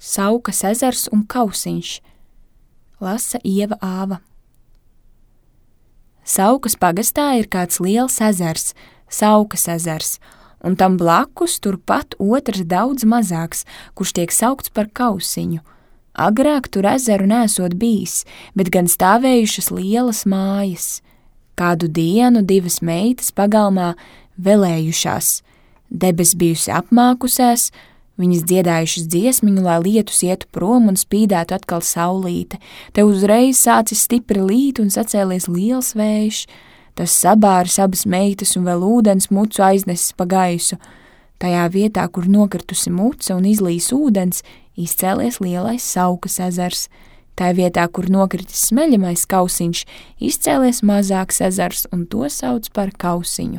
Saukas ezers un Kausiņš. Lasa Ieva Āva. Saukas pagastā ir kāds liels ezers, Saukas ezers, un tam blakus turpat otrs daudz mazāks, kurš tiek saukts par Kausiņu. Agrāk tur ezeru nesot bijis, bet gan stāvējušas lielas mājas. Kādu dienu 2 meitas pagalmā velējušās. Debes bijusi apmākusēs, viņas dziedājušas dziesmiņu, lai lietus ietu prom un spīdētu atkal saulīte. Te uzreiz sācis stipri līt un sacēlies liels vējš. Tas sabāris abas meitas un vēl ūdens mucu aiznesis pa gaisu. Tajā vietā, kur nokritusi muca un izlīs ūdens, izcēlies lielais Saukas ezers. Tajā vietā, kur nokritis smeļamais Kausiņš, izcēlies mazāks ezers un to sauc par Kausiņu.